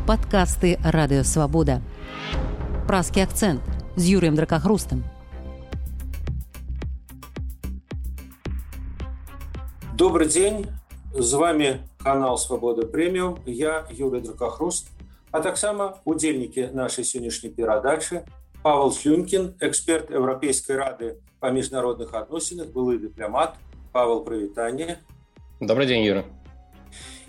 Падкасты Радыёвабода. Празкі акцэнт з Юрыем Дракахрустам. Добрый день, з вами канал Свабода Прэміум, я Юрый Дракахруст, а таксама удзельнікі нашай сённяшняй перадачы Павел Слюнкін, эксперт Еўрапейскай рады па міжнародных адносінах, былы дыпламат. Павел, прывітанне. Добрый день, Юра.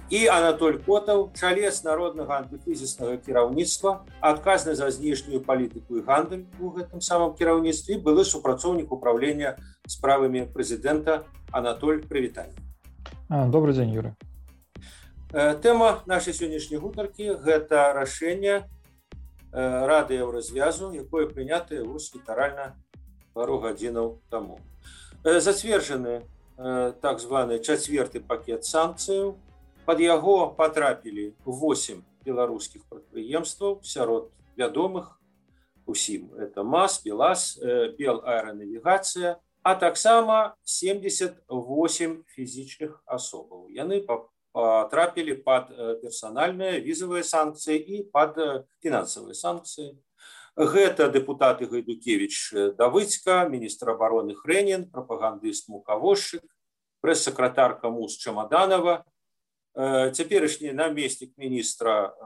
І Анатоль Котаў, чалец народнага антыкрызіснага кіраўніцтва, адказны за знешнюю палітыку і гандаль у гэтым самым кіраўніцтве, былы супрацоўнік управлення справамі прэзідэнта. Анатоль, прывітанне. Добрый день, Юра. Тэма нашай сённяшняй гутаркі – гэта рашэнне Рады Еўразвязу, якое прынятае літаральна пару гадзінаў таму. Зацверджаны так званы чацвёрты пакет санкцыяў. Пад яго патрапілі 8 беларускіх прадпрыемстваў, сярод вядомых усім. Это МАЗ, БелАЗ, Белаэранавігацыя, а таксама 78 фізічных асобаў. Яны патрапілі пад персанальныя візавыя санкцыі і пад фінансавыя санкцыі. Гэта дэпутаты Гайдукевіч Давыдзька, міністр абароны Хрэнін, прапагандыст Мукавошчык, прэс-сакратарка МУЗ Чамаданова, цяперашні намеснік міністра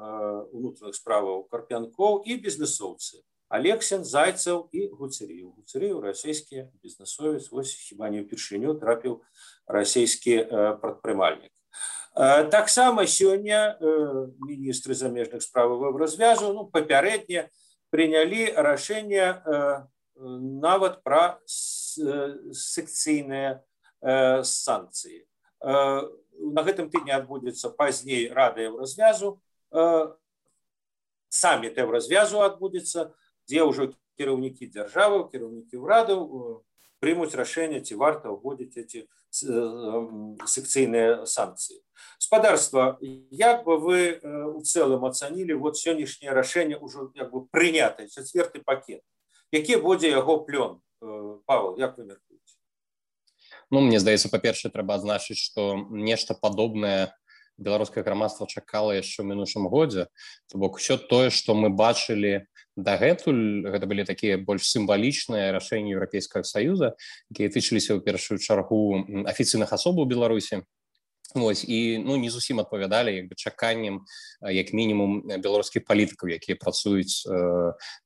ўнутраных справаў Карпянкоў і бізнесоўцы Алексін, Зайцаў і Гуцерыў. Гуцерыў расійскі бізнесовец, вось хіба не ўпершыню трапіў расійскі прадпрымальнік. Таксама сёння міністры замежных справаў Еўразвязу папярэдне прынялі рашэнне нават пра секцыйныя санкцыі. На гэтым тыдні адбудзецца пазней Рада Еўразвязу, саміт Еўразвязу адбудзецца, дзе ўжо кіраўнікі дзяржаваў, кіраўнікі ўрадаў прымуць рашэнне, ці варта ўводзіць эти секцыйныя санкцыі. Спадарства, як бы вы у цэлым ацанілі сённяшняе рашэнне ўжо прынятае, чацвёрты пакет? Які будзе яго плён? Павел, як вы мяркуеце? Мне здаецца, па-першае, трэба адзначыць, што нешта падобнае беларускае грамадства чакала яшчэ ў мінушым годзе. То бок, усё тое, што мы бачылі дагэтуль, гэта былі такія больш сімвалічныя рашэнні Еўрапейскага Саюза, якія тычыліся ў першую чаргу афіцыйных асобаў Беларусі. І не зусім адпавядалі чаканням, як мінімум, беларускіх палітыкаў, якія працуюць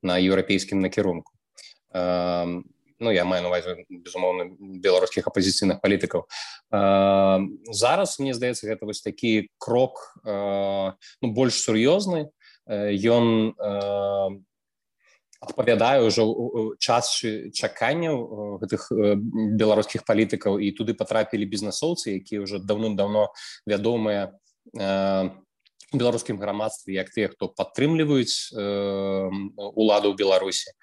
на еўрапейскім накірунку. Я маю на ўвазе, безумоўна, беларускіх апазіцыйных палітыкаў. Зараз, мне здаецца, гэта вось такі крок больш сур'ёзны. Ён адпавядае ўжо час чаканняў гэтых беларускіх палітыкаў, і туды патрапілі бізнесоўцы, якія ўжо даўным-даўно вядомыя у беларускім грамадстве як тыя, хто падтрымліваюць уладу ў Беларусі.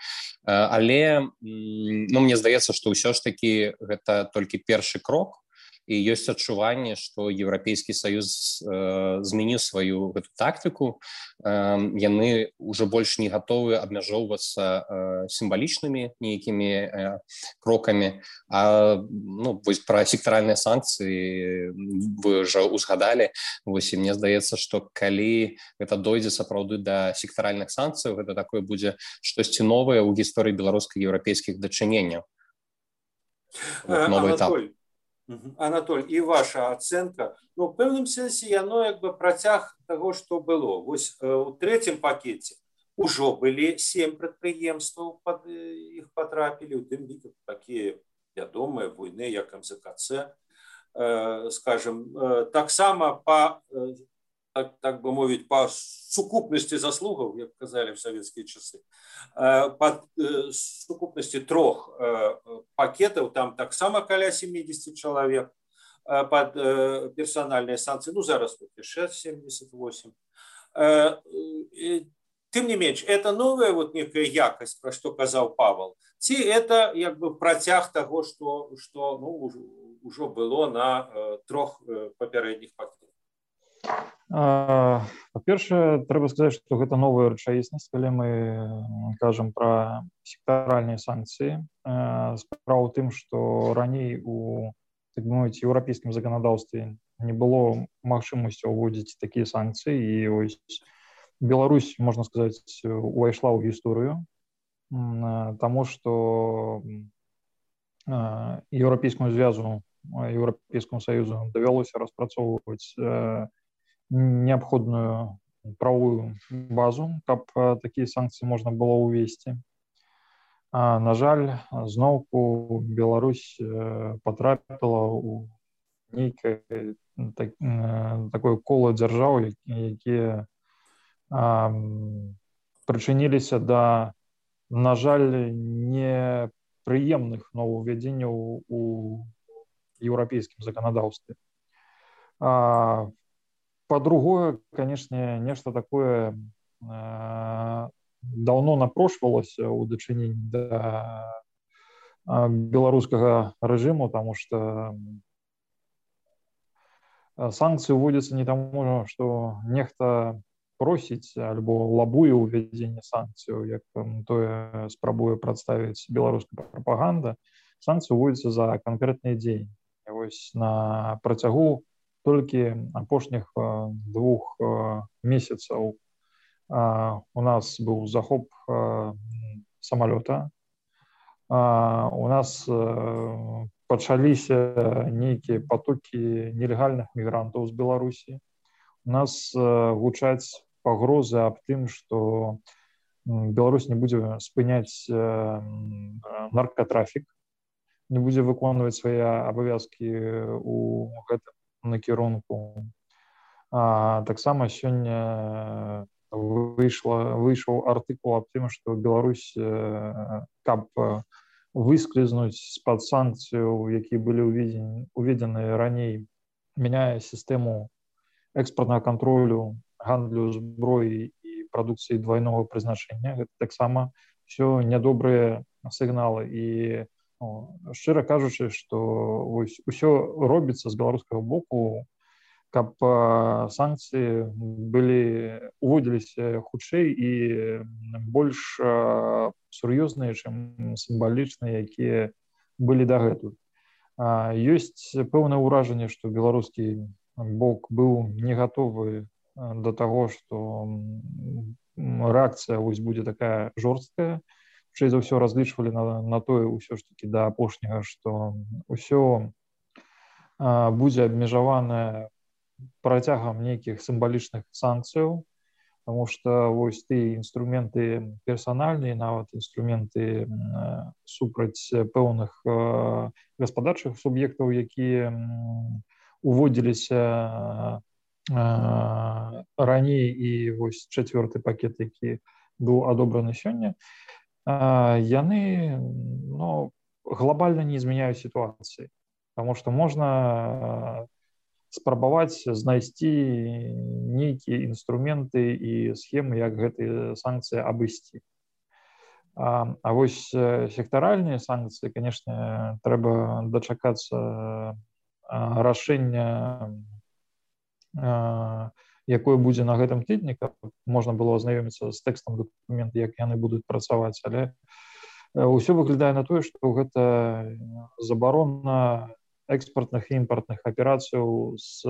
Але мне здаецца, што ўсё ж такі гэта толькі першы крок, і ёсць адчуванне, што Еўрапейскі Саюз змяніў сваю гэту тактыку. Яны ўжо больш не гатовы абмяжоўвацца сімвалічнымі нейкімі крокамі. Вось пра сектаральныя санкцыі вы ўжо узгадалі. І мне здаецца, што калі гэта дойдзе сапраўды да сектаральных санкцыяў, гэта такое будзе штосьці новае ў гісторыі беларуска-еўрапейскіх дачыненняў. Новы этап. Анатоль, і ваша ацэнка, у пэўным сэнсе яно працяг таго, што было. Вось у трэцім пакеце ўжо былі 7 прадпрыемстваў, пад іх патрапілі, у тым ліку такія вядомыя буйныя, як МЗКЦ, скажем, таксама па, так бы мовіць, па сукупнасці заслугаў, як казалі в савецкія часы, па сукупнасці 3 пакетаў, там таксама каля 70 чалавек пад персанальныя санкцыі, зараз 78. Тым не менш, это новая некая якасць, пра што казаў Павел, ці это працяг таго, што ўжо было на 3 папярэдніх пакетах? Па-першае, трэба сказаць, што гэта новая рэчаіснасць, калі мы кажам пра сектаральныя санкцыі. Справа ў тым, што раней у, так бы мовіць, еўрапейскім заканадаўстве не было магчымасці ўводзіць такія санкцыі, і Беларусь, можна сказаць, увайшла ў гісторыю, таму што Еўрапейскаму звязу, Еўрапейскаму саюзу давялося распрацоўваць неабходную правовую базу, каб такія санкцыі можна было ўвесці. На жаль, зноўку Беларусь патрапіла ў нейкае такое кола дзяржаў, якія прычыніліся да, на жаль, непрыемных новаўвядзенняў у еўрапейскім заканадаўстве. Па-другое, канешне, нешта такое даўно напрошвалася ў дачыненні да беларускага рэжыму, таму што санкцыі ўводзяцца не таму, што нехта просіць альбо лабуе ўвядзенне санкцыяў, як тое спрабуе прадставіць беларуская прапаганда. Санкцыі ўводзяцца за канкрэтныя дзеянні. Вось на працягу толькі апошніх 2 месяцаў у нас быў захоп самалёта, у нас пачаліся нейкія потокі нелегальных мігрантаў з Беларусі, у нас гучаць пагрозы аб тым, што Беларусь не будзе спыняць наркотрафік, не будзе выконваць свае абавязкі ў гэтым накірунку. Таксама сёння выйшаў артыкул аб тым, што Беларусь, каб выскользнуць з-пад санкцыяў, якія былі уведзены раней, мяняе сістэму экспартнага кантролю, гандлю зброі і прадукцыі двайнога прызначэння. Гэта таксама ўсё нядобрыя сігналы. І шчыра кажучы, што ўсё робіцца з беларускага боку, каб санкцыі уводзіліся хутчэй і больш сур'ёзныя, чым сімвалічныя, якія былі дагэтуль. Ёсць пэўнае ўражанне, што беларускі бок быў не гатовы да таго, што рэакцыя будзе такая жорсткая. Хутчэй за ўсё разлічвалі на тое ўсё ж такі да апошняга, што ўсё будзе абмежаванае працягам нейкіх сімвалічных санкцыяў, таму што вось тыя інструменты персанальныя, нават інструменты супраць пэўных гаспадарчых суб'ектаў, якія уводзіліся раней, і вось 4-й пакет, які быў адобраны сёння, яны глобальна не змяняюць сітуацыі, таму што можна спрабаваць знайсці нейкія інструменты і схемы, як гэтыя санкцыі абысці. А вось сектаральныя санкцыі, канешне, трэба дачакацца рашэння, якое будзе на гэтым тыдні, каб можна было азнаёміцца з тэкстам дакумента, як яны будуць працаваць. Але ўсё выглядае на тое, што гэта забарона экспартных і імпартных аперацыяў з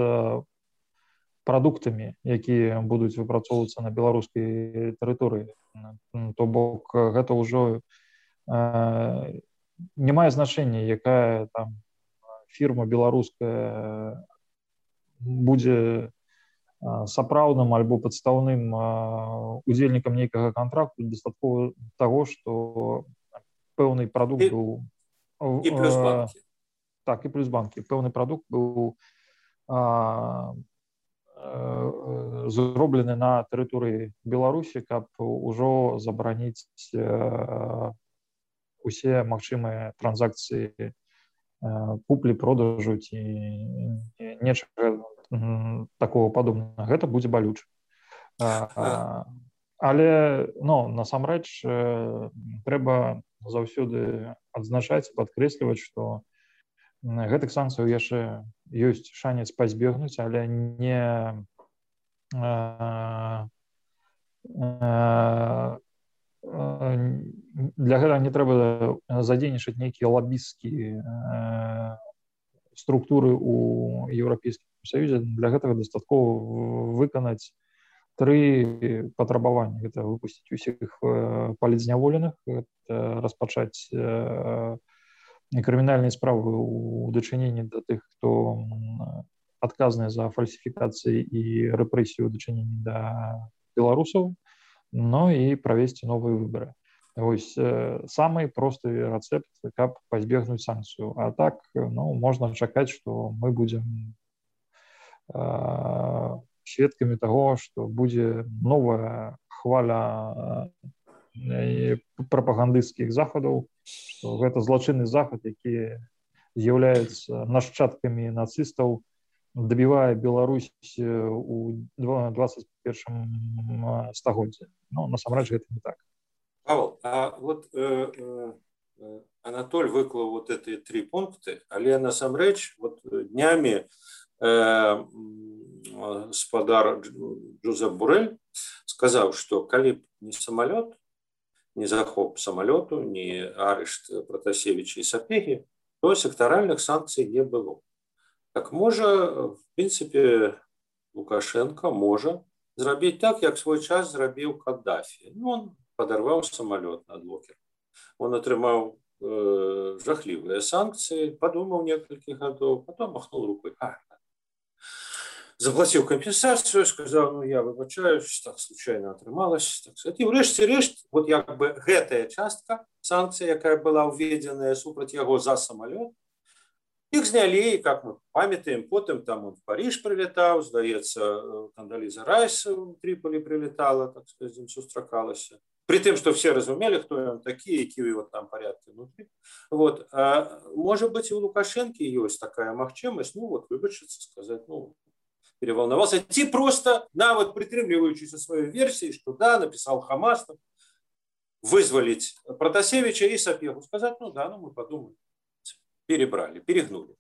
прадуктамі, якія будуць выпрацоўвацца на беларускай тэрыторыі. То бок гэта ўжо не мае значэння, якая там фірма беларуская будзе сапраўдным альбо падстаўным удзельнікам нейкага кантракту. Дастаткова таго, што пэўны прадукт быў... І плюс банкі. Так, і плюс банкі. Пэўны прадукт быў зроблены на тэрыторыі Беларусі, каб ужо забараніць усе магчымыя транзакцыі куплі-продажу ці нечага такого падобнага. Гэта будзе балюча. Але насамрэч трэба заўсёды адзначаць, падкрэсліваць, што гэтых санкцыяў яшчэ ёсць шанец пазбегнуць, але не для гэтага не трэба задзейнічаць нейкія лабісцкія структуры ў Еўрапейскім Саюзе. Для гэтага дастаткова выканаць 3 патрабавання. Гэта выпусціць усіх палітзняволеных, распачаць крымінальныя справы ў дачыненні да тых, хто адказны за фальсіфікацыі і рэпрэсію ў дачыненні да беларусаў, ну і правесці новыя выбары. Вось самы просты рэцэпт, каб пазбегнуць санкцыю. А так, ну, можна чакаць, што мы будзем сведкамі таго, што будзе новая хваля прапагандысцкіх захадаў, што гэта злачынны захад, які з'яўляецца нашчадкамі нацыстаў, дабівае Беларусь у 21 стагоддзі. Ну, насамрэч, гэта не так. Павел, а вот Анатоль выклаў вот эти 3 пункты, але насамрэч вот днямі спадар Джозеп Борель сказаў, што калі б не самолет, не захоп самолету, не арышт Протасевича и Сапеги, то сектаральных санкций не было. Так можа, в принципе, Лукашенко можа зрабіць так, як свой час зрабіў Каддафі. Ну, он падарваў самолет над Локером. Он атрымаў жахлівыя санкции, подумал несколько годов, потом махнул рукой. Заплатил компенсацию, сказал, ну я выбачаюсь, так случайно атрымалось. Так сказать. И врэшце-рэшт, вот як бы гэтая частка санкций, якая была уведенная супраць яго за самолет, их сняли, и, как мы памятаем, потом там он в Париж прилетал, здаецца, Кондолиза Райс в Триполи прилетала, так сказать, им сустракалася. При том, что все разумели, кто он такие, какие его там порядки внутри. Вот. А может быть, и у Лукашенко есть такая магчимость, ну вот, выбачиться, сказать, ну, переволновался. Ти просто, вот притримливаючись своей версии, что да, написал Хамас, вызволить Протасевича и Сапегу, сказать, ну да, ну мы подумали. Перебрали, перегнули.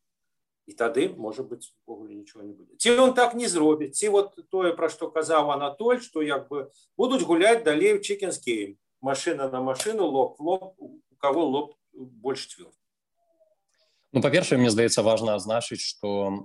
И тогда, может быть, в Боголе ничего не будет. Ці он так не зробит. Ці вот то, про что казал Анатоль, что як бы будут гулять далее в Chicken's Game. Машина на машину, лоб в лоб, у кого лоб больше тверд. Ну, па-першае, мне здаецца, важна адзначыць, што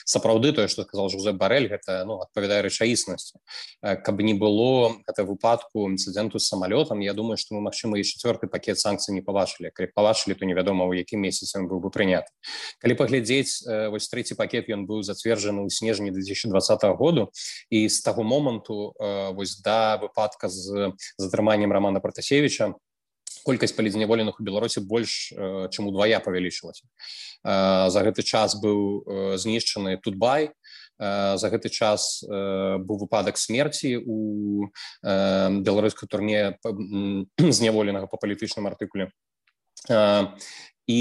сапраўды тое, што сказаў Жозеп Барэль, гэта адпавядае рэчаіснасці. Каб не было гэта выпадку інцыдэнту з самалётам, я думаю, што мы, магчыма, і 4-й пакет санкцый не пабачылі. Калі пабачылі, то невядома, у якім месяцы ён быў бы прыняты. Калі паглядзець, вось 3-й пакет, ён быў зацверджаны ў снежні 2020 году, і з таго моманту, вось да выпадка з затрыманнем Романа Протасевича, колькасць палітзняволеных у Беларусі больш, чым удвая павялічылася. За гэты час быў знішчаны Тутбай, за гэты час быў выпадак смерці у беларускай турме зняволенага па палітычным артыкуле. І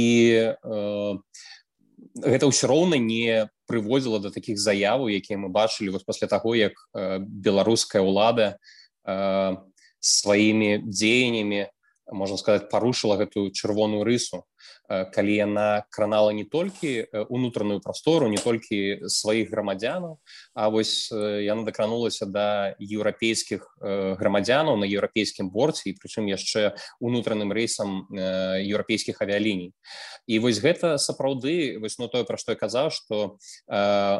гэта ўсё роўна не прыводзіла да такіх заяваў, якія мы бачылі вось пасля таго, як беларуская ўлада сваімі дзеяннямі, можна сказаць, парушыла гэтую чырвоную рысу, калі яна кранала не толькі унутраную прастору, не толькі сваіх грамадзянаў, а вось яна дакранулася да еўрапейскіх грамадзянаў на еўрапейскім борце, і прычым яшчэ унутраным рэйсам еўрапейскіх авіяліній. І вось гэта сапраўды, вось тое, пра што я казаў, што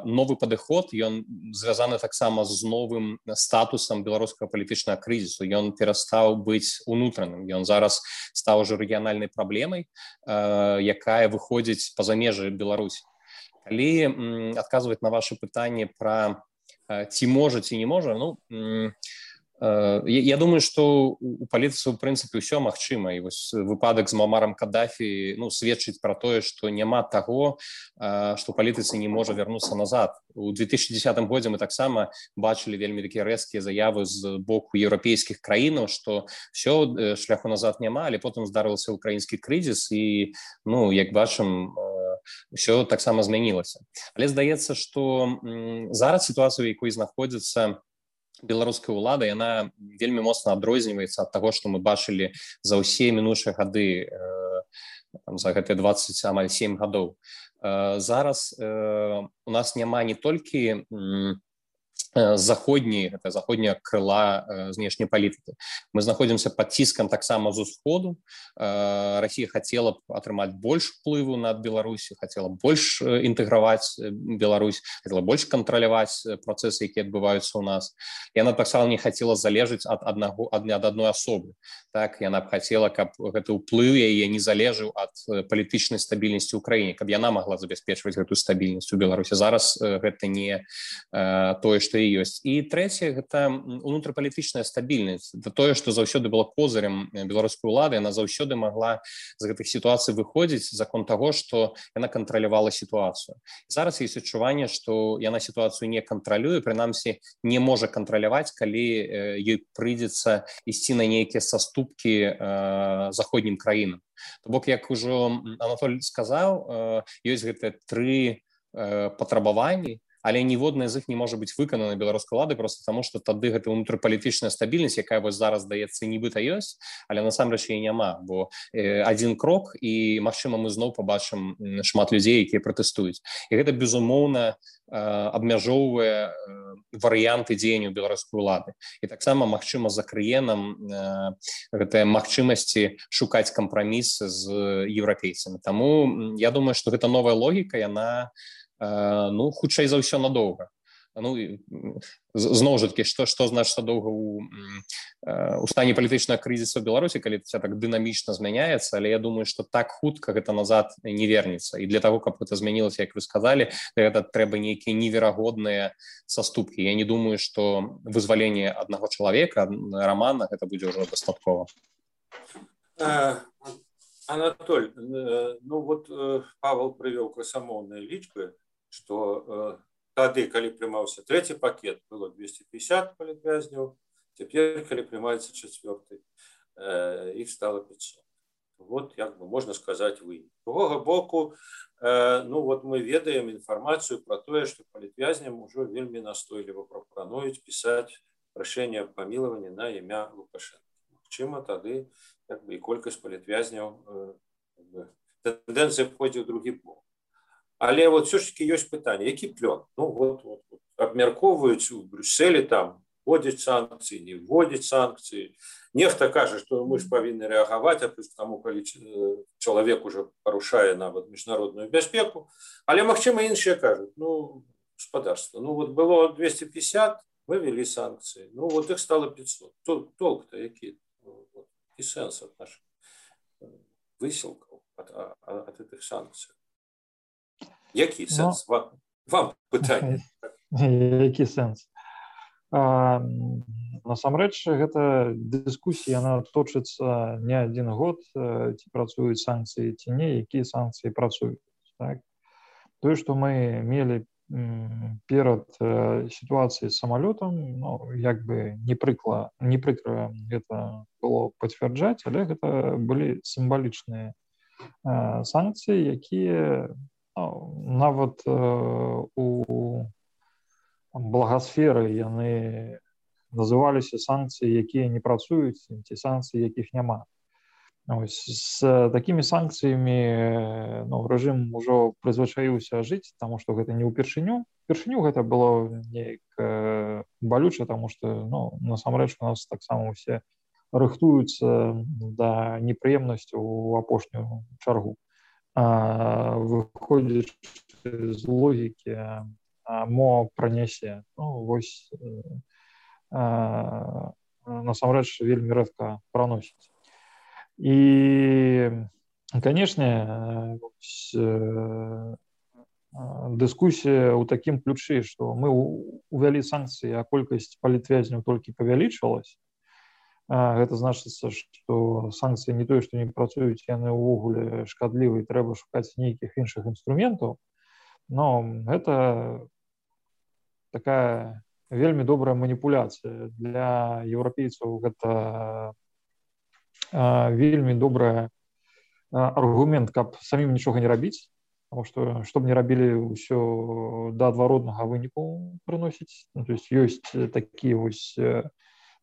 новы падыход, ён звязаны таксама з новым статусам беларускага палітычнага крызісу. Ён перастаў быць унутраным, ён зараз стаў ужо рэгіянальнай праблемай, якая выходзіць па-за межы Беларусі. Калі адказваць на ваше пытанне пра ці можа, ці не можа, ну, я думаю, што у палітыцы, у прынцыпе, ўсё магчыма. І вось выпадак з Муамарам Каддафі, ну, сведчыць пра тое, што няма таго, што ў палітыцы не можа вярнуцца назад. У 2010 годзе мы таксама бачылі вельмі такія рэзкія заявы з боку еўрапейскіх краінаў, што ўсё, шляху назад няма, але потым здарыўся украінскі крызіс, і, ну, як бачым, ўсё таксама змянілася. Але здаецца, што зараз сітуацыя, у якой знаходзіцца беларуская ўлада, яна вельмі моцна адрозніваецца ад таго, што мы бачылі за ўсе мінуўшыя гады, за гэтыя 27 гадоў. Зараз у нас няма не толькі заходняя крыла знешняй палітыкі. Мы знаходзімся пад ціскам таксама з усходу. Расія хацела б атрымаць больш уплыву над Беларусю, хацела больш інтэграваць Беларусь, хацела больш кантраляваць працэсы, якія адбываюцца ў нас. Яна таксама не хацела залежаць ад адной асобы. Так, яна б хацела, каб гэты ўплыў яе не залежаў ад палітычнай стабільнасці ў краіне, каб яна магла забяспечваць гэтую стабільнасць у Беларусі. Зараз гэта не тое, што ёсць. І трэцяе, гэта унутрапалітычная стабільнасць. Это тое, што заўсёды было козырем беларускай улады, яна заўсёды магла з гэтых сітуацый выходзіць за конт таго, што яна кантралявала сітуацыю. Зараз ёсць адчуванне, што яна сітуацыю не кантралюе, прынамсі не можа кантраляваць, калі ёй прыйдзецца ісці на нейкія саступкі заходнім краінам. То бок, як ужо Анатоль сказаў, ёсць гэтыя 3 патрабаванні, але ніводная з іх не можа быць выканана беларускай уладай проста таму, што тады гэта унутрапалітычная стабільнасць, якая вось зараз, здаецца, нібыта ёсць, але насамрэч яе няма, бо адзін крок і, магчыма, мы зноў пабачым шмат людзей, якія пратэстуюць. І гэта, безумоўна, абмяжоўвае варыянты дзеянняў беларускай улады. І таксама, магчыма, закрые нам гэтыя магчымасці шукаць кампрамісы з еўрапейцамі. Таму я думаю, што гэта новая логіка, яна хутчэй за ўсё надоўга. Зноў жа такі, што значыць надоўга у стане палітычнага крызісу ў Беларусі, калі це так дынамічна змяняецца, але я думаю, што так хутка гэта назад не вернецца. І для таго, каб гэта змянілася, як вы сказалі, гэта трэба нейкія неверагодныя саступкі. Я не думаю, што вызваленне аднаго чалавека, Рамана, гэта будзе ўжо дастаткова. Анатоль, Павел прывёў красамоўныя лічбы, што тады, калі прымаўся 3-й пакет, было 250 палітвязняў, цяпер, калі прымаецца 4-й, іх стала 500. Вот, як бы можна сказаць, вынік. З другога боку, мы ведаем інфармацыю пра тое, што палітвязням ужо вельмі настойліва прапануюць пісаць прашэнне аб памілаванні на імя Лукашэнка. Магчыма, тады і колькасць палітвязняў, тэндэнцыя пойдзе ў другі бок. Але все ж таки ёсць пытанне, які плён? Абмяркоўваюць у Брюсселі, там вводзяць санкцыі, не вводзяць санкцыі. Нехта кажа, што мы ж павінны рэагаваць, а плюс таму, калі чалавек уже парушае нават міжнародную бяспеку. Але, магчыма, іншыя кажуць, гаспадарства, было 250, мы ввели санкцыі, іх стало 500. Толк-то які? І сэнс ад нашых высілкаў, ад гэтых санкцый. Які сэнс? Вам пытанне. Які сэнс? Насамрэч, гэта дыскусія, яна точыцца не адзін год, ці працуюць санкцыі, ці не, якія санкцыі працуюць. Тое, што мы мелі перад сітуацыяй з самалётам, як бы не прыкра гэта было пацвярджаць, але гэта былі сімвалічныя санкцыі, якія нават у благасферы яны называліся санкцыі, якія не працуюць, ці санкцыі, якіх няма. З такімі санкцыямі рэжым ужо прызвычаіўся жыць, таму што гэта не ўпершыню. Упершыню гэта было неяк балюча, таму што насамрэч у нас таксама ўсе рыхтуюцца да непрыемнасцяў у апошнюю чаргу. Выходзячы з логікі, мо пранясе. Насамрэч вельмі рэдка праносіць. І, канешне, дыскусія ў такім ключы, што мы увялі санкцыі, а колькасць палітвязняў толькі павялічвалась. Гэта значыцца, што санкцыі не тое, што не працуюць, яны ўвогуле шкадлівы, і трэба шукаць нейкіх іншых інструментаў. Но гэта такая вельмі добрая маніпуляцыя. Для еўрапейцаў гэта вельмі добры аргумент, каб самім нічога не рабіць, потому што, што б не рабілі, ўсё да адваротнага выніку прыносіць. То есть ёсць такія вось,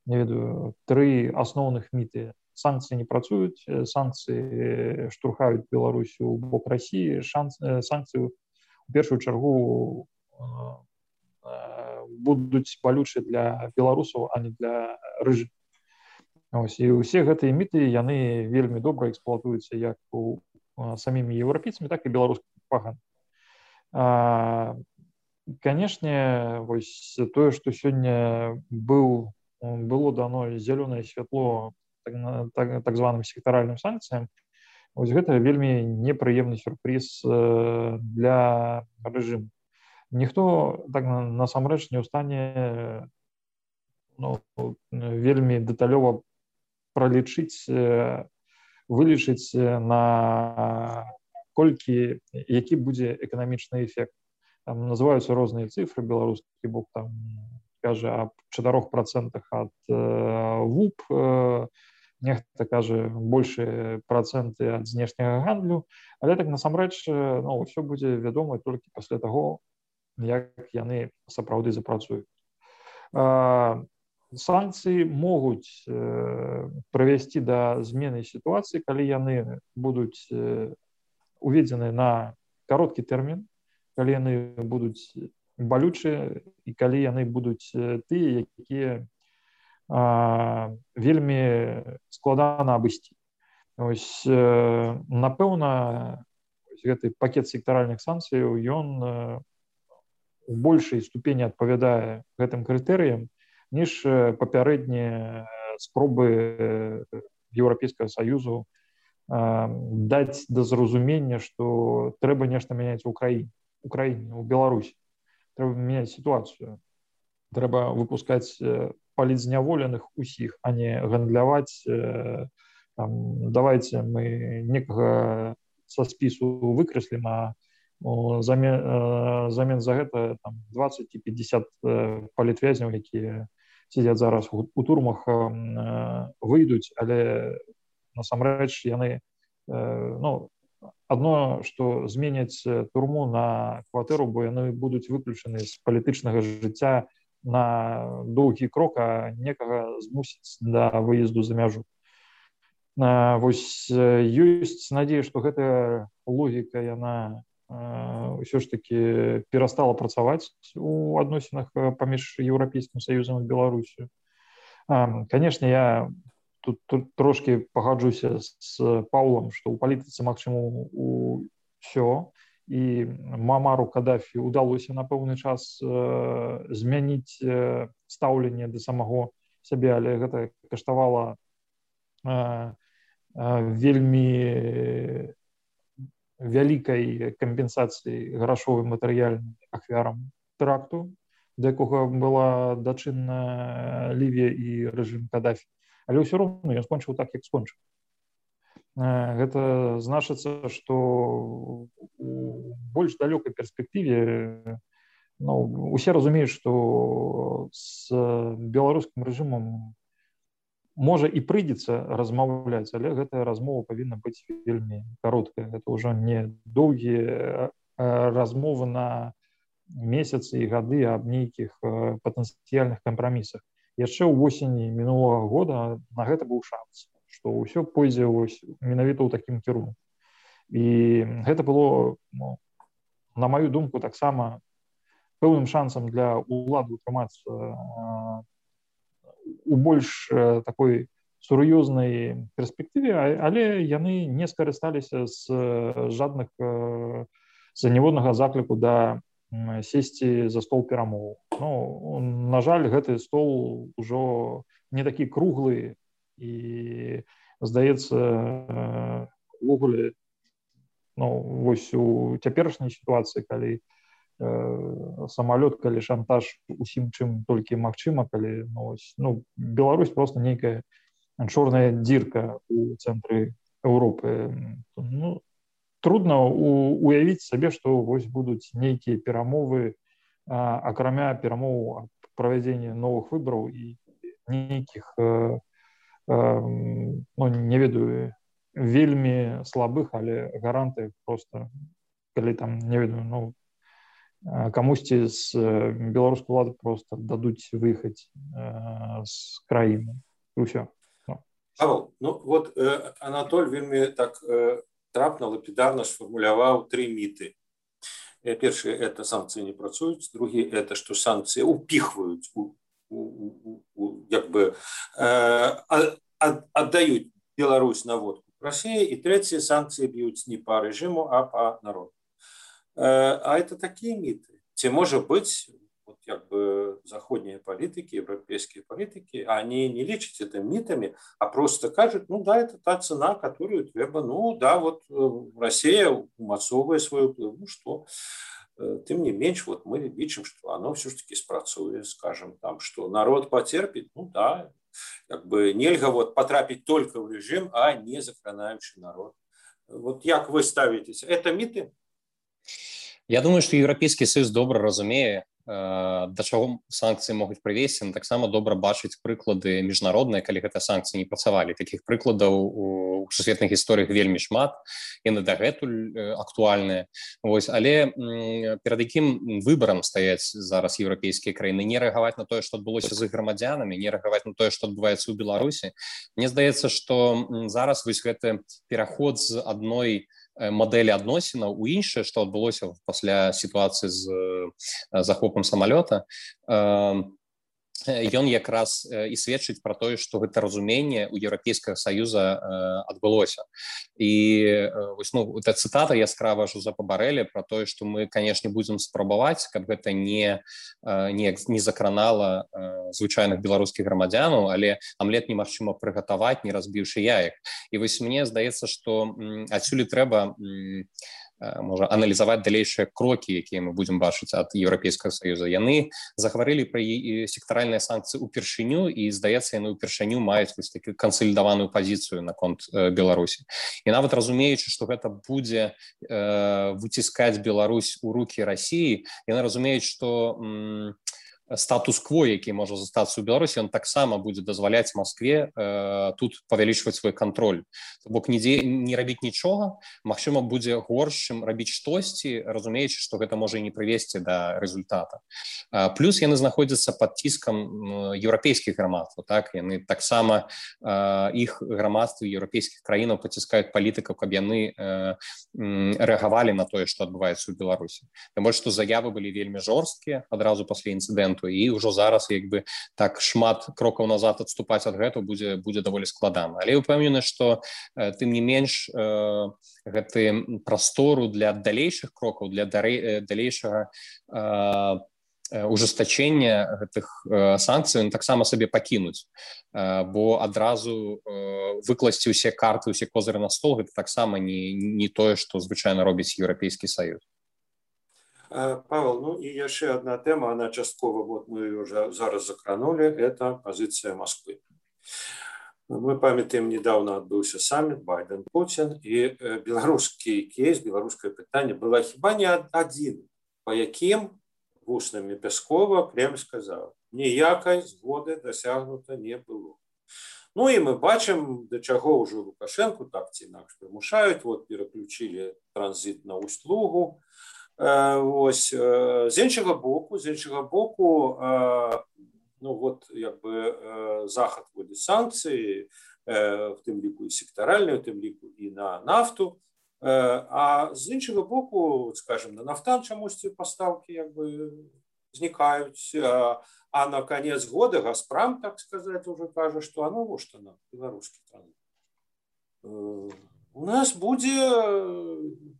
не ведаю, 3 асноўных міты. Санкцыі не працуюць, санкцыі штурхаюць Беларусю ў бок Расіі, санкцыі у першую чаргу будуць балючыя для беларусаў, а не для рэжыму. І ўсе гэтыя міты яны вельмі добра эксплуатуюцца як у самімі еўрапейцамі, так і беларускімі прапагандай. Канешне, вось тое, што сёння было дано зялёнае святло так званым сектаральным санкцыям, вось гэта вельмі непрыемны сюрпрыз для рэжыму. Ніхто так насамрэч не ў стане вельмі дэталёва пралічыць, вылічыць на колькі, які будзе эканамічны эфект. Там называюцца розныя цифры, беларускі бок там кажа аб 4% ад ВУП, нехта кажа большыя працэнты ад знешняга гандлю, але так насамрэч ўсё будзе вядома толькі пасля таго, як яны сапраўды запрацуюць. Санкцыі могуць прывесці да змены сітуацыі, калі яны будуць уведзены на кароткі тэрмін, калі яны будуць балючыя і калі яны будуць тыя, якія вельмі складана абысці. Ось, напэўна, гэты пакет сектаральных санкцыяў, ён у большай ступені адпавядае гэтым крытэрыям, ніж папярэднія спробы Еўрапейскага Саюзу даць да зразумення, што трэба нешта мяняць у Украіне, у Беларусі. Трэба мяняць сітуацыю. Трэба выпускаць палітзняволеных усіх, а не гандляваць. Давайте мы некага са спісу выкрэслім, а замен за гэта 20 і 50 палітвязняў, якія сидзяць зараз у турмах, выйдуць, але насамрэч яны адно, што зменяць турму на кватэру, бо яны будуць выключаны з палітычнага жыцця на доўгі крок, а некага змусіць да выезду за мяжу. Вось ёсць надзея, што гэтая логіка яна ўсё ж таки перастала працаваць у адносінах паміж Еўрапейскім Саюзам і Беларусю. Канешне, я тут трошки пагаджуся з Паўлам, што ў палітыцы магчыма ўсё, і Муамару Кадафі ўдалося на пэўны час змяніць стаўленне да самого сябе, але гэта каштавала вельмі вялікай кампенсацыі грашовай матэрыяльнай ахвярам тэракту, да якога была дачынна Лівія і рэжым Кадафі. Але ўсё роўна ён скончыў так, як скончыў. Гэта значыцца, што у больш далёкай перспектыве усе разумеюць, што з беларускім рэжымам можа і прыйдзецца размаўляць, але гэтая размова павінна быць вельмі кароткая. Гэта ўжо не доўгія размовы на месяцы і гады аб нейкіх патэнцыяльных кампрамісах. Яшчэ ў восені мінулага года на гэта быў шанс, што ўсё пойдзе менавіта ў такім кірунку. І гэта было, на маю думку, таксама пэўным шансам для ўлады утрымацца у больш такой сур'ёзнай перспектыве, але яны не скарысталіся з ніводнага закліку да сесці за стол перамоў. На жаль, гэты стол ужо не такі круглы, і здаецца, увогуле, вось у цяперашняй сітуацыі, калі самалёт, калі шантаж усім чым толькі магчыма, калі Беларусь просто нейкая чорная дзірка у цэнтры Еўропы. Трудно уявіць сабе, што вось будуць нейкія перамовы, акрамя перамоў аб правядзенні новых выбараў і нейкіх, не ведаю, вельмі слабых, але гарантый просто, калі там, не ведаю, камусьці з беларускай улады просто дадуць выехаць з краіны. І ўсё. Павел, вот Анатоль вельмі так трапна, лапідарна сфармуляваў 3 міты. Першае, это санкцыі не працуюць, другі, это што санкцыі упіхваюць, як бы аддаюць Беларусь на водку России, и третье, санкции бьют не по режиму, а по народу. А это такие миты. Те, может быть, вот как бы заходние политики, европейские политики, они не лечат это митами, а просто кажут, ну да, это та цена, которую треба, ну да, вот Россия умацовывает свою вплыв, ну что, тем не меньше, вот мы видим, что оно все-таки спрацует, скажем, там, что народ потерпит, ну да, как бы нельзя вот потрапить только в режим, а не закранающий народ. Вот как вы ставитесь? Это миты? Я думаю, што Еўрапейскі Саюз добра разумее, да чаго санкцыі могуць прывесці, но таксама добра бачыць прыклады міжнародныя, калі гэтыя санкцыі не працавалі. Такіх прыкладаў у сусветных гісторыях вельмі шмат, яны дагэтуль актуальныя. Але перад якім выбарам стаяць зараз еўрапейскія краіны? Не рэагаваць на тое, што адбылося з іх грамадзянамі, не рэагаваць на тое, што адбываецца ў Беларусі. Мне здаецца, што зараз гэты пераход з адной мадэлі адносінаў у іншае, што адбылося пасля сітуацыі з захопам самалёта, ён якраз і сведчыць пра тое, што гэта разуменне ў Еўрапейскага Саюза адбылося. І эта цытата яскрава Жозепа Барэля пра тое, што мы, канешне, будзем спрабаваць, каб гэта не закранала звычайных беларускіх грамадзянаў, але амлет немагчыма прыгатаваць, не разбіўшы яек. І мне здаецца, што адсюль трэба можа аналізаваць далейшыя крокі, якія мы будзем бачыць ад Еўрапейскага Саюза. Яны захварылі пра сектаральныя санкцыі ўпершыню, і, здаецца, яны ўпершыню маюць такую кансалідаваную пазіцыю наконт Беларусі. І нават разумеючы, што гэта будзе выціскаць Беларусь у рукі Расіі, яны разумеюць, што статус-кво, які можа застацца ў Беларусі, ён таксама будзе дазваляць Маскве тут павялічваць свой кантроль. То бок не рабіць нічога, магчыма, будзе горш, чым рабіць штосьці, разумеючы, што гэта можа і не прывесці да рэзультата. Плюс яны знаходзяцца пад ціскам еўрапейскіх грамадстваў. Яны таксама, іх грамадствы еўрапейскіх краінаў паціскаюць палітыкаў, каб яны рэагавалі на тое, што адбываецца ў Беларусі. Тым больш, што заявы былі вельмі жорсткія адразу пасля інцыдэнту, і ўжо зараз так шмат крокаў назад адступаць ад гэтага будзе даволі складана. Але упэўнены, што тым не менш гэты прастору для далейшых крокаў, для далейшага ужестачэння гэтых санкцый таксама сабе пакінуць, бо адразу выкласці ўсе карты, ўсе козыры на стол, гэта таксама не тое, што звычайна робіць Еўрапейскі Саюз. Павел, ну и еще одна тема, она частково, вот мы ее уже зараз закранули, это позиция Москвы. Мы памятаем, недавно отбылся саммит Байден-Путин, и белорусский кейс, белорусское питание было хіба не один, по яким вуснами Пескова Кремль сказал, ніякай згоди досягнуто не было. Ну и мы бачим, до чего уже Лукашенко так ці інакш примушають, вот переключили транзит на Усть-Лугу. Ось, з іншого боку, ну от якби Захід вводить санкції, в тим ліку і секторальні, в тим ліку і на нафту, а з іншого боку, скажімо, на нафтан чомусь ці поставки якби зникають, а на конец года Газпром, так сказати, вже каже, що а ну во що нам, білоруський транзит. У нас буде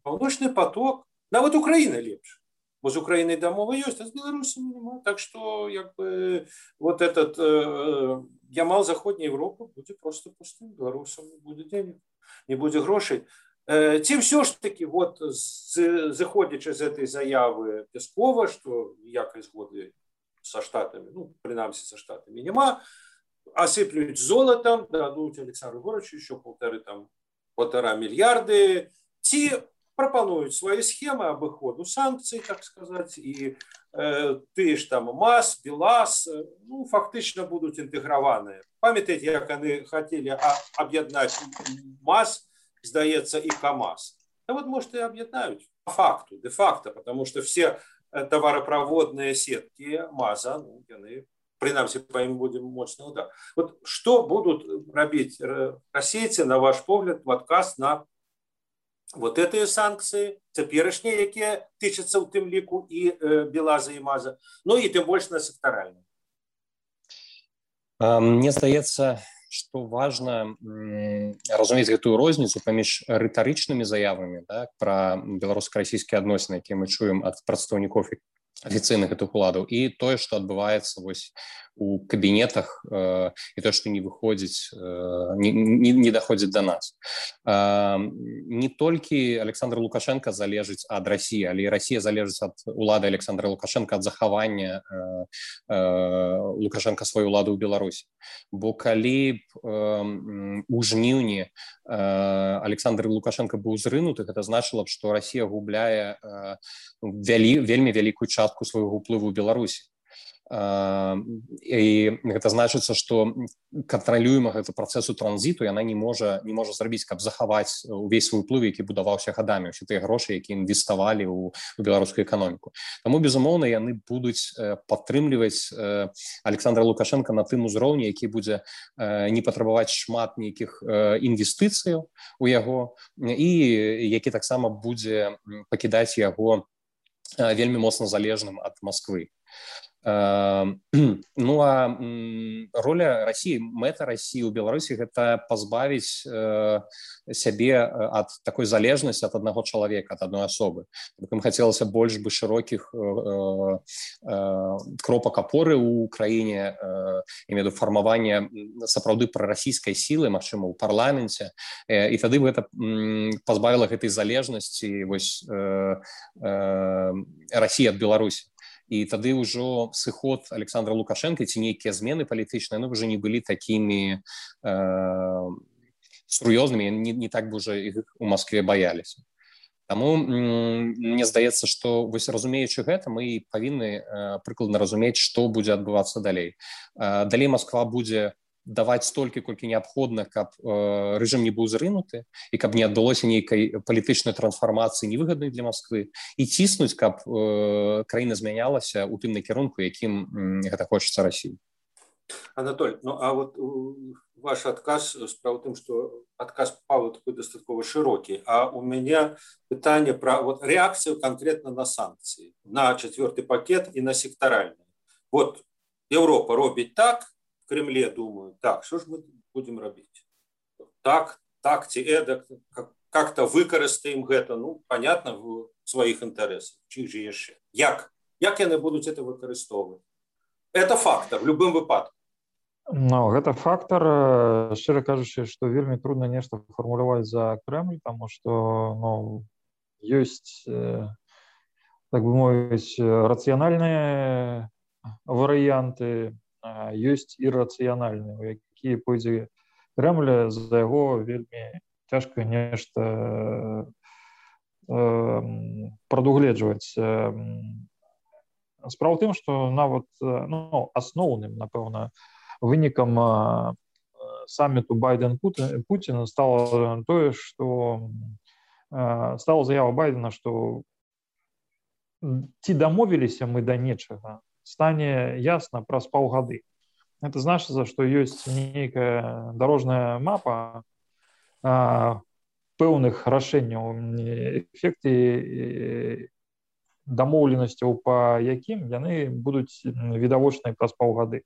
Паўночны поток. Нават Украина лепш. Бо з Украиной дамова ёсць, а з Беларусью нема. Так что як бы вот этот ямал Заходняй Европы будзе просто пустым. Беларусам не будзе денег, не будзе грошай. Ці все ж таки вот заходячи з этой заявы Пескова, что ніякай згоды со Штатами, ну, принамсі со Штатами нема, осыплють золотом, дадуть Александру Григорьевичу еще 1,5 миллиарда. Ці пропонують свої схеми обиходу санкцій, так сказати, і ті ж там МАЗ, БелАЗ, ну, фактично будуть інтегровані. Пам'ятаєте, як вони хотіли об'єднати МАЗ, здається, і КАМАЗ? А от, може, і об'єднають по факту, де-факто, тому що всі товаропроводні сетки МАЗа, ну, вони, принамсі, по їм буде мощний удар. От що будуть робити російці, на ваш погляд, в отказ на вот гэтыя санкцыі цяперашнія, якія тычацца ў тым ліку і Белаза і Маза, ну і тым больш на сектаральным. Мне здаецца, што важна разумець гэтую розніцу паміж рытарычнымі заявамі, так, пра беларуска-расійскія адносіны, якія мы чуем ад прадстаўнікоў афіцыйных гэтых уладаў, і тое, што адбываецца вось у кабінетах, і тое, што не выходзіць, не даходзіць да нас. Не толькі Александр Лукашенко залежыць ад Расіі, але і Расія залежыць ад улады Александра Лукашенко, ад захавання Лукашенко сваёй улады ў Беларусі. Бо калі б у жніўні Александр Лукашенко быў зрынуты, гэта значыла б, што Расія губляе вельмі вялікую частку свайго ўплыву ў Беларусі. І гэта значыцца, што кантралюема гэты працэсу транзіту яна не можа зрабіць, каб захаваць увесь свой уплыв, які будаваўся гадамі, усе тыя грошы, якія інвеставалі ў беларускую эканоміку. Таму, безумоўна, яны будуць падтрымліваць Александра Лукашенка на тым узроўні, які будзе не патрабаваць шмат нейкіх інвестыцыяў у яго, і які таксама будзе пакідаць яго вельмі моцна залежным ад Масквы. Ну а роля Расіі, мэта Расіі ў Беларусі гэта пазбавіць сябе ад такой залежнасці ад аднаго чалавека, ад адной асобы. Ім хацелася больш бы шырокіх кропак апоры ў краіне, імею ў виду фармавання сапраўды прарасійскай сілы, магчыма, у парламенце, і тады гэта пазбавіла гэтай залежнасці вось Расіі ад Беларусі. І тады ўжо сыход Александра Лукашенко ці нейкія змены палітычныя, ну, ўжо не былі такімі сур'ёзнымі, не так бы ўжо іх у Маскве баяліся. Таму мне здаецца, што вось разумеючы гэта, мы павінны прыкладна разумець, што будзе адбывацца далей. Далей Масква будзе даваць столькі, колькі неабходна, каб рэжым не быў зрынуты і каб не адбылося нейкай палітычнай трансфармацыі невыгаднай для Масквы, і ціснуць, каб краіна змянялася ў тым накірунку, якім гэта хочацца Расіі. Анатоль, ну а вот ваш адказ, справа ў тым, што адказ Павла такой дастаткова шырокі, а у мяне пытанне пра вот рэакцыю канкрэтна на санкцыі, на 4-й пакет і на сектаральны. Вот Еўропа робіць так, Кремле думают, так, что же мы будем робить? Так, ці эдак, как-то выкарыстаем гэта, ну, понятно, в своих интересах. Чьих же яшчэ? Як яны будуць это выкарыстоўваць? Это фактор, в любым выпадку. Ну, гэта фактор, шчыра кажучы, што вельмі трудна нешта фармуляваць за Кремль, таму што, ну, ёсць, так бы мовіць, рацыянальныя варыянты, ёсць іррацыянальныя, у якія пойдзе Кремль, за яго вельмі цяжка нешта прадугледжваць. Справа ў тым, што нават, ну, асноўным, напэўна, вынікам саміту Байден-Пуціна стала тое, што стала заява Байдена, што ці дамовіліся мы да нечага, стане ясна праз паўгады. Это значыцца, што ёсць нейкая дарожная мапа пэўных рашэнняў, эфекты дамоўленасцяў, па якім яны будуць відавочныя праз паўгады.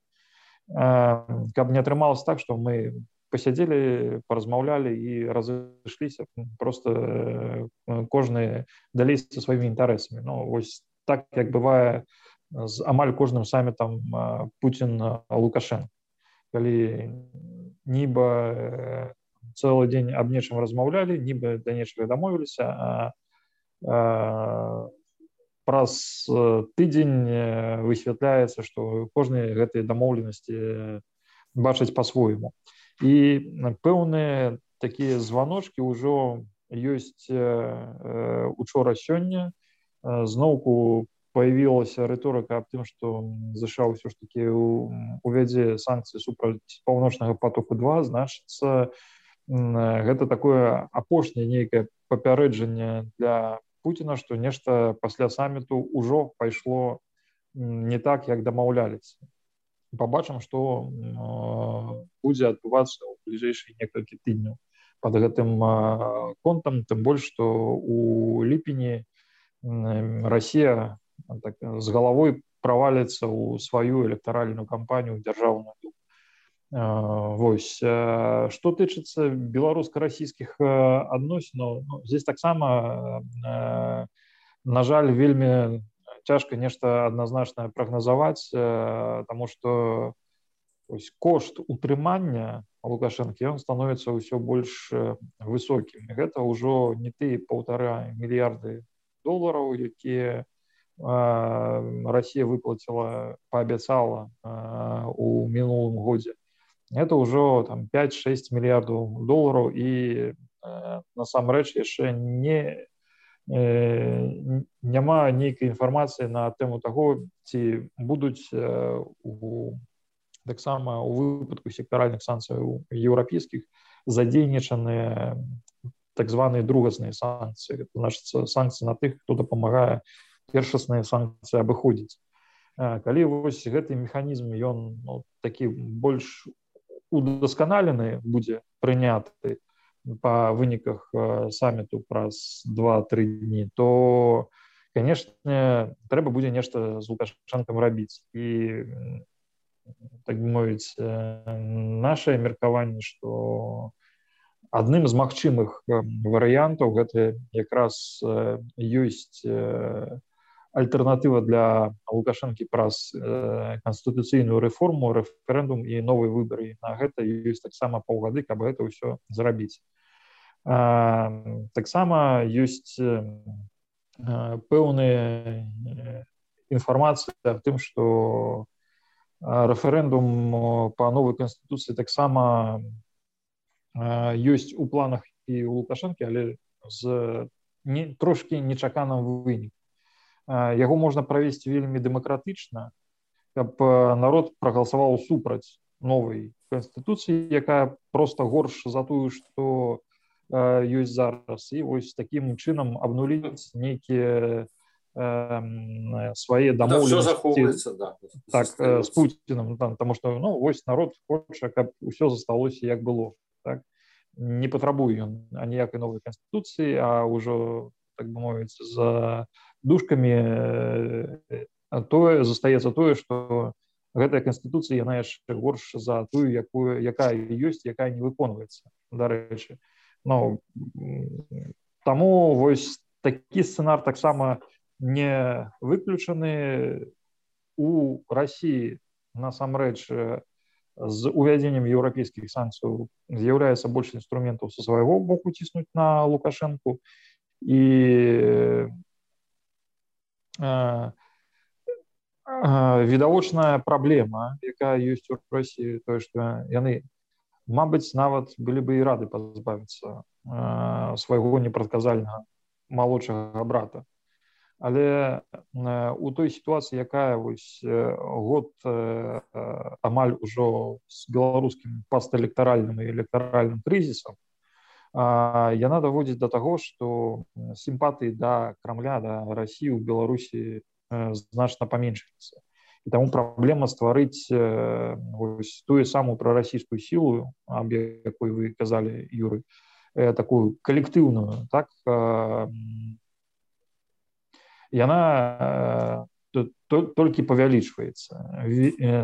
Каб не атрымалася так, што мы пасядзелі, паразмаўлялі і разышліся, просто кожны далей са сваімі інтарэсамі. Ну, вось так, як бывае з амаль кожным самітам Пуцін-Лукашенко. Калі нібы цэлы дзень аб нечым размаўлялі, нібы да нечага дамовіліся, а праз тыдзень высвятляецца, што кожны гэтыя дамоўленасці бачыць па-свойму. І пэўныя такія званочкі ўжо ёсць учора-сёння. Зноўку появілася рыторыка аб тым, што США ўсё ж такі увядзе санкцыі супраць паўночнага потоку-2, значыцца, гэта такое апошняе нейкае папярэджанне для Пуціна, што нешта пасля саміту ўжо пайшло не так, як дамаўляліся. Пабачым, што будзе адбывацца ў бліжэйшыя некалькі тыдняў. под гэтым контам, тым больш што у ліпені Расія так, з галавой праваліцца ў сваю электаральную кампанію дзяржаўную. Вось. Што тычыцца беларуска-расійскіх адносінаў, здесь таксама, на жаль, вельмі цяжка нешта адназначнае прагназаваць, таму што кошт утрымання Лукашэнкі ён становіцца ўсё больш высокім. Гэта ўжо не тыя 1,5 мільярды долараў, якія Расія выплаціла, паабяцала у мінулым годзе. Это ўжо 5-6 мільярдаў долараў, і насамрэч яшчэ няма нейкай інфармацыі на тэму таго, ці будуць таксама у выпадку сектаральных санкцый еўрапейскіх задзейнічаныя так званыя другасныя санкцыі. Это значыцца санкцыі на тых, хто дапамагае першасныя санкцыі абыходзіць. Калі вось гэты механізм ён такі больш удасканалены будзе прыняты па выніках саміту праз 2-3 дні, то, канешне, трэба будзе нешта з Лукашэнкам рабіць. І, так бы мовіць, нашае меркаванне, што адным з магчымых варыянтаў гэта якраз ёсць альтэрнатыва для Лукашэнкі праз канстытуцыйную рэформу, рэферэндум і новыя выбары. На гэта ёсць таксама паўгады, каб гэта ўсё зрабіць. Таксама ёсць пэўная інфармацыя аб тым, што рэферэндум па новай канстытуцыі таксама ёсць у планах і ў Лукашэнкі, але з трошкі нечаканым вынікам. Яго можна правесці вельмі дэмакратычна, каб народ прагаласаваў супраць новай канстытуцыі, якая проста горш за тую, што ёсць зараз. І вось такім чынам абнуліць нейкія свае дамоўленасці з Пуцінам, таму што вось народ хоча, каб усё засталося як было. Не патрабуе ён аніякай новай канстытуцыі, а ўжо, так бы мовіць, за дужкамі застаецца тое, што гэтая канстытуцыя яна яшчэ горш за тую, якая ёсць, якая не выконваецца, дарэчы. Таму вось такі сцэнар таксама не выключаны. У Расіі насамрэч з увядзеннем еўрапейскіх санкцый з'яўляецца больш інструментаў са свайго боку ціснуць на Лукашэнку. І відавочная праблема, якая ёсць у Расіі, тое, што яны, мабыць, нават былі бы і рады пазбавіцца свайго непрадказальнага малодшага брата. Але у той сітуацыі, якая вось год амаль ужо з беларускім пастэлектаральным і электаральным крызісам, яна даводзіць да таго, што сімпатыі да Крамля, да Расіі ў Беларусі значна паменшыцца. І таму праблема стварыць тую самую прарасійскую сілу, аб якой вы казалі, Юрый, такую калектыўную, так, яна толькі павялічваецца.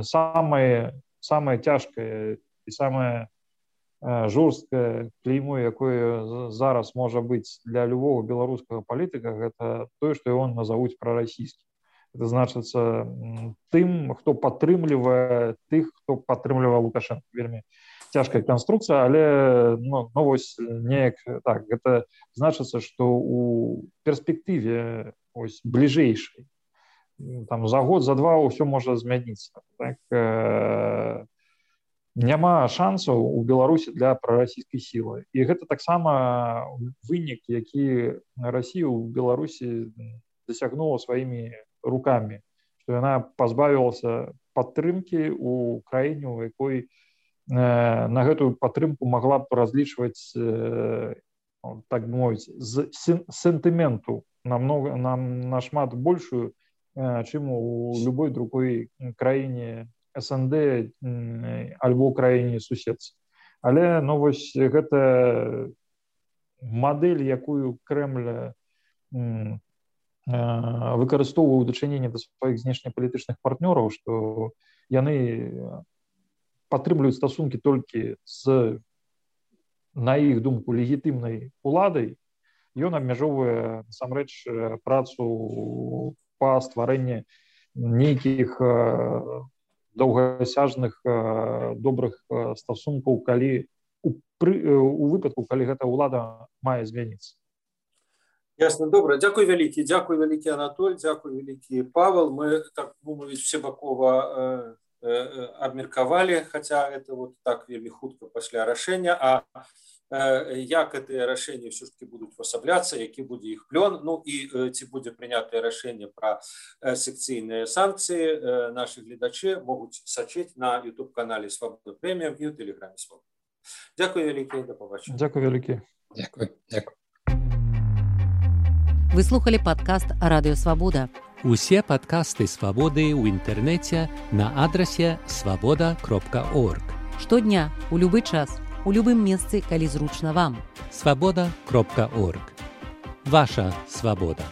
Самае цяжкае і самае жорсткае клеймо, якое зараз можа быць для любого беларускага палітыка, гэта тое, што ён назавуць прарасійскім. Это значыцца тым, хто падтрымлівае тых, хто падтрымлівае Лукашэнка. Вельмі цяжкая канструкцыя, але вось неяк так. Гэта значыцца, што у перспектыве бліжэйшай, за год, за два ўсё можа змяніцца. Няма шансаў у Беларусі для прарасійскай сілы. І гэта таксама вынік, які Расія ў Беларусі дасягнула сваімі рукамі, што яна пазбавілася падтрымкі ў краіне, у якой на гэтую падтрымку магла б разлічваць, так бы мовіць, з сентыменту нашмат большую, чым у любой другой краіне СНД альбо краіне суседцы. Але ну, вось гэта мадэль, якую Крэмль выкарыстоўвае ў дачыненні да сваіх знешнепалітычных партнёраў, што яны падтрымліваюць стасункі толькі з, на іх думку, легітымнай уладай, ён абмяжоўвае насамрэч працу па стварэнні нейкіх доўгасяжных добрых стасункаў, калі у выпадку, калі гэта ўлада мае змяніцца. Ясно, добра. Дзякуй вялікі Анатоль, дзякуй вялікі Павел. Мы, так мовіць, всебакова абмеркавалі, хаця это вот так вельмі хутка пасля рашэння, а як гэтыя рашэнні ўсё ж таки будуць увасабляцца, які будзе іх плён, ну і ці будзе прынятае рашэнне пра секцыйныя санкцыі, нашы гледачы могуць сачыць на YouTube-канале Свабода Прэміум і ў Тэлеграме Свабода. Дзякуй вялікі, да пабачення. Дзякуй вялікі. Дзякуй. Вы слухали падкаст Радыё Свабода. Усе падкасты Свабоды ў інтэрнэце на адрасе swaboda.org. Штодня, у любы час, у любым месцы, калі зручна вам. swaboda.org. Ваша свабода.